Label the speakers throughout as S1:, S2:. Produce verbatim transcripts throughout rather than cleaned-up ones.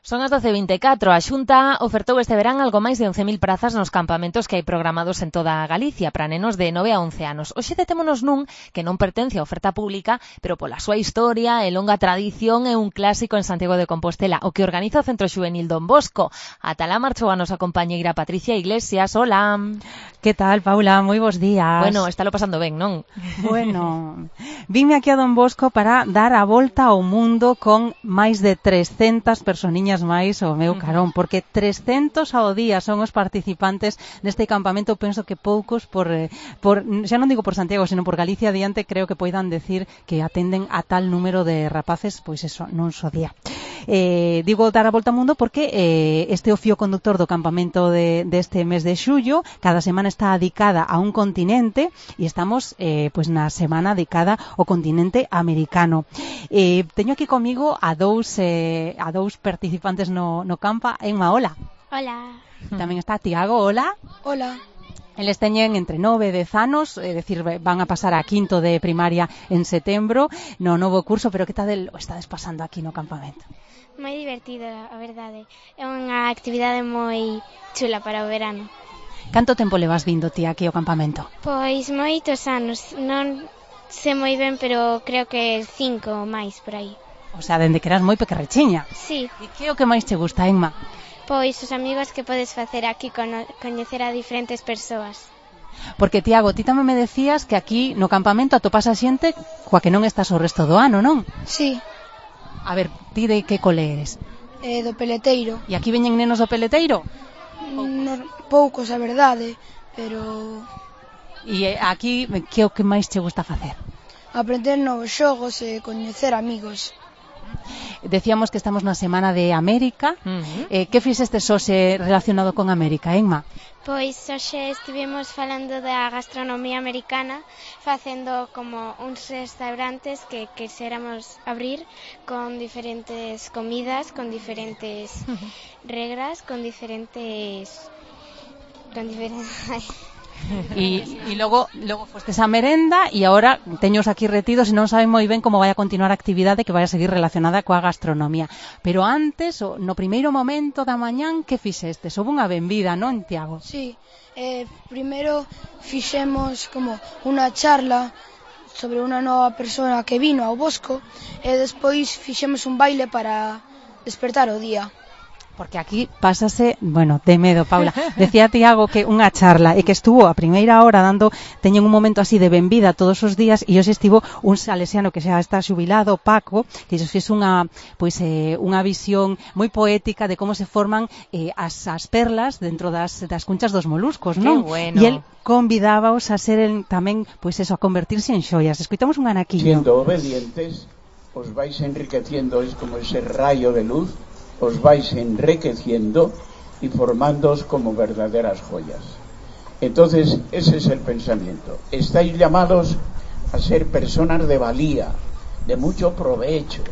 S1: Son as doce e vinte e catro. A Xunta ofertou este verán algo máis de once mil prazas nos campamentos que hai programados en toda a Galicia para nenos de nove a once anos. Hoxe detémonos nun que non pertence á oferta pública, pero pola súa historia e longa tradición é un clásico en Santiago de Compostela, o que organiza o Centro Xuvenil Don Bosco. Ata lá marchou a nosa compañeira Patricia Iglesias. Hola.
S2: Que tal, Paula? Moi bons días.
S1: Bueno, estálo pasando ben, non?
S2: Bueno, vime aquí a Don Bosco para dar a volta ao mundo con máis de trescentas personiñas máis o meu carón, porque trescentos ao día son os participantes neste campamento. Penso que poucos por, por xa non digo por Santiago, sino por Galicia adiante, creo que poidan decir que atenden a tal número de rapaces, pois eso, nun só día. Eh, digo dar a volta ao mundo porque eh, este é o fío conductor do campamento de, deste mes de xullo. Cada semana está dedicada a un continente e estamos eh, pois na semana dedicada ao continente americano. Eh, teño aquí comigo a dous eh, a dous participantes no, no campa. Enma, hola.
S3: Hola.
S2: Tamén está Tiago, hola.
S3: Hola.
S2: Eles teñen entre nove e dez anos, é dicir, van a pasar a quinto de primaria en setembro no novo curso, pero que tal o estades pasando aquí no campamento?
S3: Moi divertido, a verdade. É unha actividade moi chula para o verano.
S2: Canto tempo levas vindo ti aquí ao campamento?
S3: Pois moitos anos, non sei moi ben, pero creo que cinco ou máis por aí.
S2: O sea, dende que eras moi pequerrechiña.
S3: Sí.
S2: E que é o que máis te gusta, Enma?
S3: Pois os amigos que podes facer aquí, coñecer a diferentes persoas.
S2: Porque, Tiago, ti tamén me decías que aquí no campamento atopas a xente coa que non estás o resto do ano, non?
S4: Sí.
S2: A ver, ti de que cole eres?
S4: Eh, do peleteiro.
S2: E aquí veñen nenos do peleteiro?
S4: No, poucos, a verdade, pero...
S2: E aquí, que é o que máis te gusta facer?
S4: Aprender novos xogos e coñecer amigos.
S2: Decíamos que estamos na Semana de América. Uh-huh. eh, que fixestes hoxe relacionado con América, Enma?
S3: Pois hoxe estivemos falando da gastronomía americana, facendo como uns restaurantes que quixéramos abrir con diferentes comidas, con diferentes regras, con diferentes... con diferentes...
S2: E, e logo, logo fostes a merenda e agora teños aquí retidos e non saben moi ben como vai a continuar a actividade que vai a seguir relacionada coa gastronomía. Pero antes, no primeiro momento da mañán, que fixestes? Houve unha benvida, non, Tiago?
S4: Sí, eh, primeiro fixemos como unha charla sobre unha nova persona que vino ao Bosco e despois fixemos un baile para despertar o día.
S2: Porque aquí pásase, bueno, de medo, Paula. Decía Tiago que unha charla e que estuvo a primeira hora dando, teñen un momento así de benvida todos os días e hoxe estivo un salesiano que xa está xubilado, Paco, que xos fixe unha, pois, eh, unha visión moi poética de como se forman eh, as, as perlas dentro das, das cunchas dos moluscos, non?
S1: Que bueno.
S2: E el convidábaos a ser el, tamén, pois eso, a convertirse en xoias. Escoitamos un anaquiño.
S5: Siendo obedientes, os vais enriqueciendo, es como ese rayo de luz, os vais enriqueciendo y formándoos como verdaderas joyas. Entonces, ese es el pensamiento. Estáis llamados a ser personas de valía, de mucho provecho.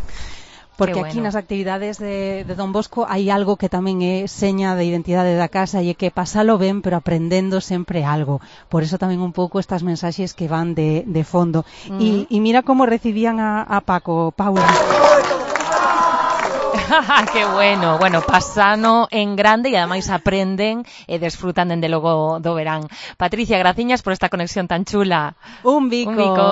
S2: Porque
S1: bueno.
S2: Aquí nas actividades de, de Don Bosco hai algo que tamén é seña de identidade da casa e é que pasalo ben, pero aprendendo sempre algo. Por eso tamén un pouco estas mensaxes que van de, de fondo. Uh-huh. E, e mira como recibían a, a Paco, Paula.
S1: ¡Qué bueno! Bueno, pasano en grande e ademais aprenden e desfrutan dende logo do verán. Patricia, graciñas por esta conexión tan chula.
S2: Un bico.
S1: Un bico.